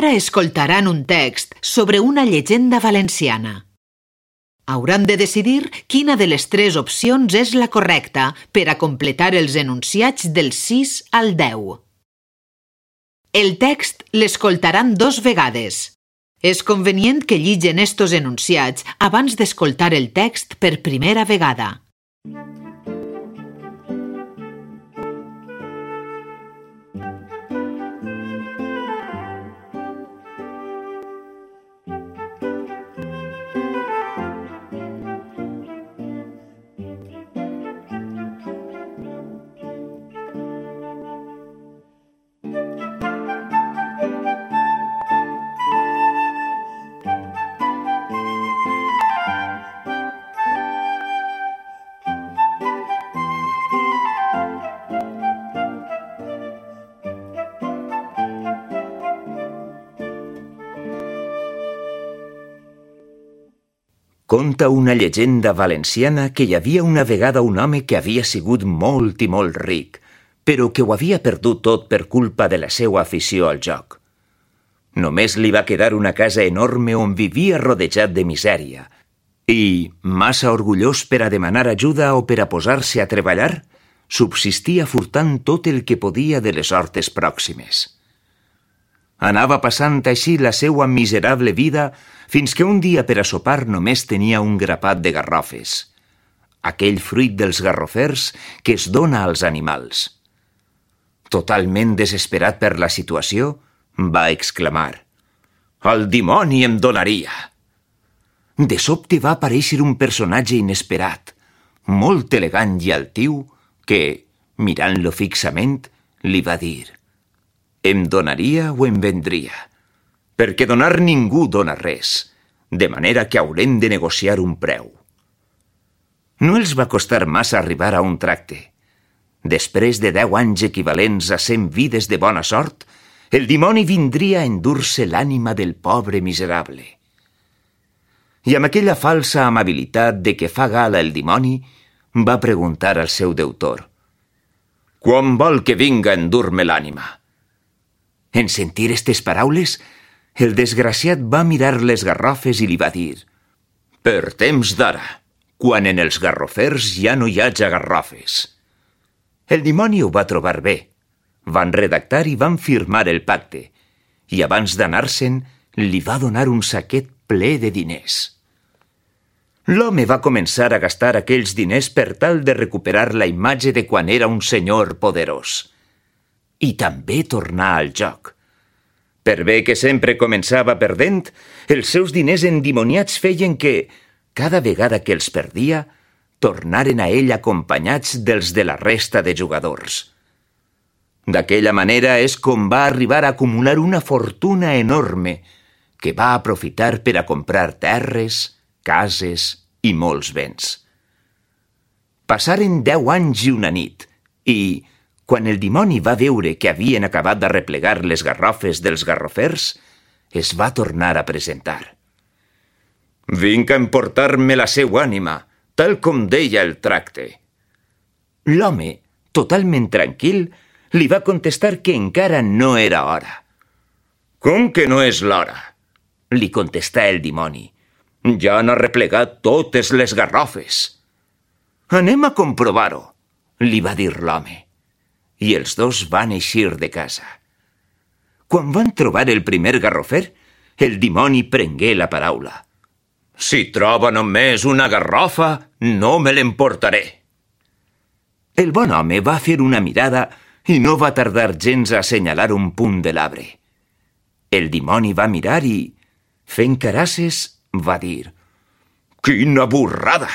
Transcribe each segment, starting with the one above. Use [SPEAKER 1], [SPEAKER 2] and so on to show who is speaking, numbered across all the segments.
[SPEAKER 1] Ara escoltaran un text sobre una llegenda valenciana. Hauran de decidir quina de les 3 opcions és la correcta per a completar els enunciats del 6 al 10. El text l'escoltaran 2 vegades. És convenient que lligen estos enunciats abans d'escoltar el text per primera vegada.
[SPEAKER 2] Conta una llegenda valenciana que hi havia una vegada un home que havia sigut molt i molt ric, però que ho havia perdut tot per culpa de la seva afició al joc. Només li va quedar una casa enorme on vivia rodejat de misèria i, massa orgullós per a demanar ajuda o per a posar-se a treballar, subsistia furtant tot el que podia de les hortes pròximes. Anava passant així la seua miserable vida fins que un dia per a sopar només tenia un grapat de garrofes, aquell fruit dels garrofers que es dona als animals. Totalment desesperat per la situació, va exclamar: «El dimoni em donaria!» De sobte va aparèixer un personatge inesperat, molt elegant i altiu, que, mirant-lo fixament, li va dir: «Em donaria o em vendria? Perquè donar ningú dona res, de manera que haurem de negociar un preu». No els va costar massa arribar a un tracte. Després de 10 anys equivalents a 100 vides de bona sort, el dimoni vindria a endur-se l'ànima del pobre miserable. I amb aquella falsa amabilitat de què fa gala el dimoni, va preguntar al seu deutor: «Quan vol que vinga a endur-me l'ànima?» En sentir estes paraules, el desgraciat va mirar les garrofes i li va dir: «Per temps d'ara, quan en els garrofers ja no hi haja garrofes». El dimoni ho va trobar bé. Van redactar i van firmar el pacte, i abans d'anar-se'n li va donar un saquet ple de diners. L'home va començar a gastar aquells diners per tal de recuperar la imatge de quan era un senyor poderós. I també tornar al joc. Per bé que sempre començava perdent, els seus diners endimoniats feien que, cada vegada que els perdia, tornaren a ell acompanyats dels de la resta de jugadors. D'aquella manera és com va arribar a acumular una fortuna enorme que va aprofitar per a comprar terres, cases i molts béns. Passaren 10 anys i una nit i, quan el dimoni va veure que havien acabat d'arreplegar les garrofes dels garrofers, es va tornar a presentar. «Vinc a emportar-me la seua ànima, tal com deia el tracte». L'home, totalment tranquil, li va contestar que encara no era hora. «Com que no és l'hora?», li contestà el dimoni. «Ja han arreplegat totes les garrofes». «Anem a comprovar-ho», li va dir l'home. I els dos van eixir de casa. Quan van trobar el primer garrofer, el dimoni prengué la paraula. «Si troba només una garrofa, no me l'emportaré». El bon home va fer una mirada i no va tardar gens a assenyalar un punt de l'arbre. El dimoni va mirar i, fent carasses, va dir: «Quina burrada!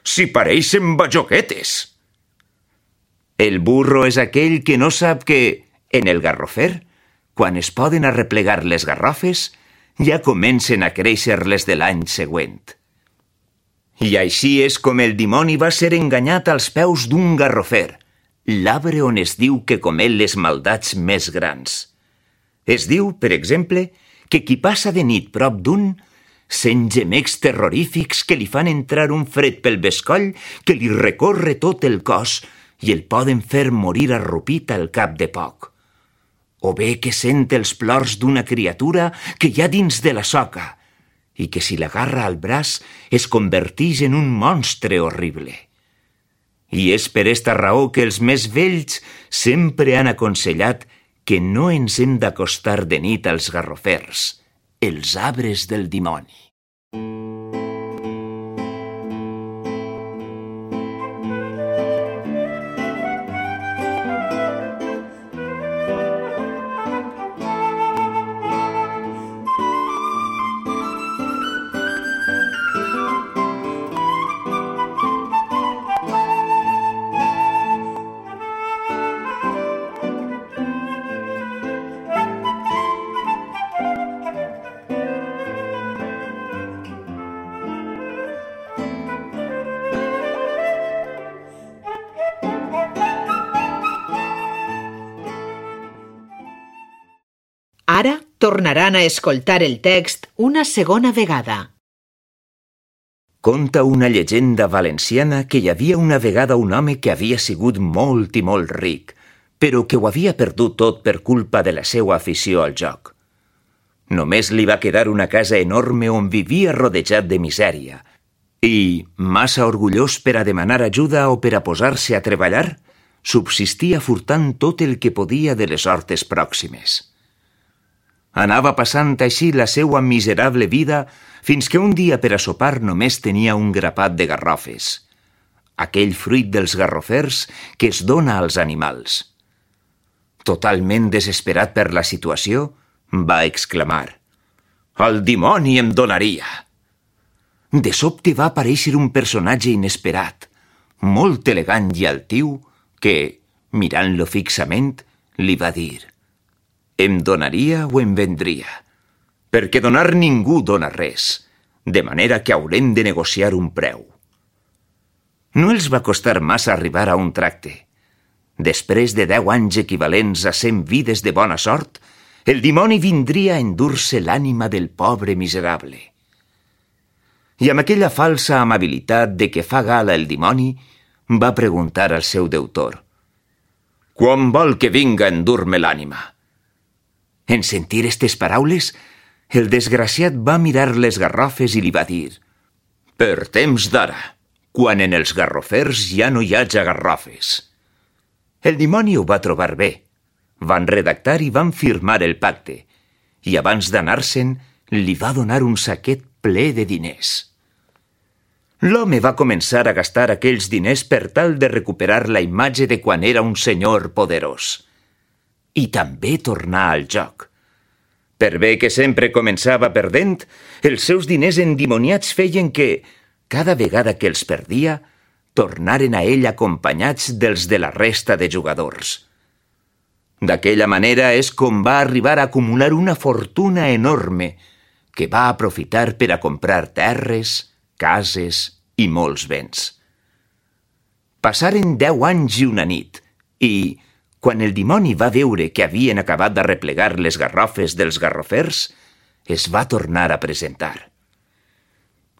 [SPEAKER 2] Si pareixen bajoquetes!» El burro és aquell que no sap que, en el garrofer, quan es poden arreplegar les garrofes, ja comencen a créixer les de l'any següent. I així és com el dimoni va ser enganyat als peus d'un garrofer, l'arbre on es diu que comet les maldats més grans. Es diu, per exemple, que qui passa de nit prop d'un sent gemecs terrorífics que li fan entrar un fred pel bescoll que li recorre tot el cos i el poden fer morir arrupit al cap de poc. o bé que sent els plors d'una criatura que hi ha dins de la soca i que si l'agarra al braç es convertix en un monstre horrible. I és per esta raó que els més vells sempre han aconsellat que no ens hem d'acostar de nit als garrofers, els arbres del dimoni.
[SPEAKER 1] Ara tornaran a escoltar el text una segona vegada.
[SPEAKER 2] Conta una llegenda valenciana que hi havia una vegada un home que havia sigut molt i molt ric, però que ho havia perdut tot per culpa de la seva afició al joc. Només li va quedar una casa enorme on vivia rodejat de misèria i, massa orgullós per a demanar ajuda o per a posar-se a treballar, subsistia furtant tot el que podia de les hortes pròximes. Anava passant així la seua miserable vida fins que un dia per a sopar només tenia un grapat de garrofes, aquell fruit dels garrofers que es dona als animals. Totalment desesperat per la situació, va exclamar: «El dimoni em donaria!» De sobte va aparèixer un personatge inesperat, molt elegant i altiu, que, mirant-lo fixament, li va dir: «Em donaria o em vendria? Perquè donar ningú dona res, de manera que haurem de negociar un preu». No els va costar massa arribar a un tracte. Després de 10 anys equivalents a 100 vides de bona sort, el dimoni vindria a endur-se l'ànima del pobre miserable. I amb aquella falsa amabilitat de què fa gala el dimoni, va preguntar al seu deutor: «Quan vol que vinga a endur-me l'ànima?» En sentir estes paraules, el desgraciat va mirar les garrofes i li va dir: «Per temps d'ara, quan en els garrofers ja no hi haja garrofes». El dimoni ho va trobar bé. Van redactar i van firmar el pacte, i abans d'anar-se'n li va donar un saquet ple de diners. L'home va començar a gastar aquells diners per tal de recuperar la imatge de quan era un senyor poderós. I també tornar al joc. Per bé que sempre començava perdent, els seus diners endimoniats feien que, cada vegada que els perdia, tornaren a ell acompanyats dels de la resta de jugadors. D'aquella manera és com va arribar a acumular una fortuna enorme que va aprofitar per a comprar terres, cases i molts béns. Passaren 10 anys i una nit i, quan el dimoni va veure que havien acabat d'arreplegar les garrofes dels garrofers, es va tornar a presentar.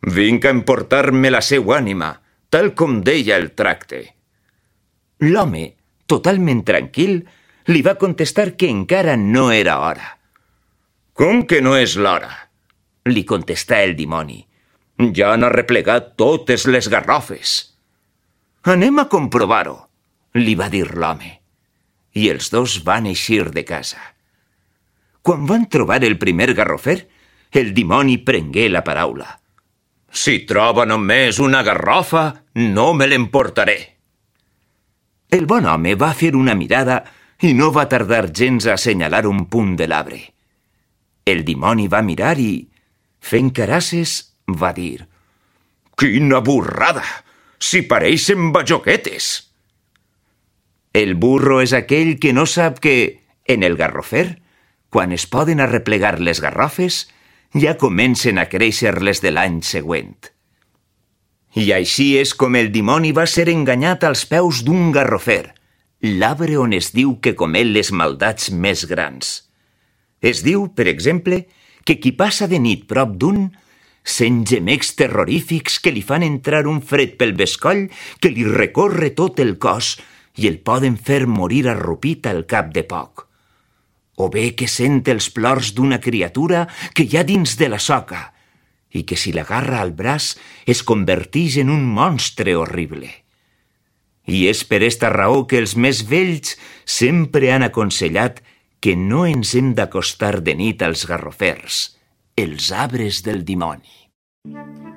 [SPEAKER 2] «Vinc a emportar-me la seua ànima, tal com deia el tracte». L'home, totalment tranquil, li va contestar que encara no era hora. «Com que no és l'hora?», li contestà el dimoni. «Ja han arreplegat totes les garrofes». «Anem a comprovar-ho», li va dir l'home. I els dos van eixir de casa. Quan van trobar el primer garrofer, el dimoni prengué la paraula. «Si troba només una garrofa, no me l'emportaré». El bon home va fer una mirada i no va tardar gens a assenyalar un punt de l'arbre. El dimoni va mirar i, fent carasses, va dir: «Quina burrada! Si pareixen bajoquetes!» El burro és aquell que no sap que, en el garrofer, quan es poden arreplegar les garrofes, ja comencen a créixer les de l'any següent. I així és com el dimoni va ser enganyat als peus d'un garrofer, l'arbre on es diu que comet les maldats més grans. Es diu, per exemple, que qui passa de nit prop d'un sent gemecs terrorífics que li fan entrar un fred pel bescoll que li recorre tot el cos i el poden fer morir arrupit al cap de poc. o bé que sent els plors d'una criatura que hi ha dins de la soca i que si l'agarra al braç es convertix en un monstre horrible. I és per esta raó que els més vells sempre han aconsellat que no ens hem d'acostar de nit als garrofers, els arbres del dimoni.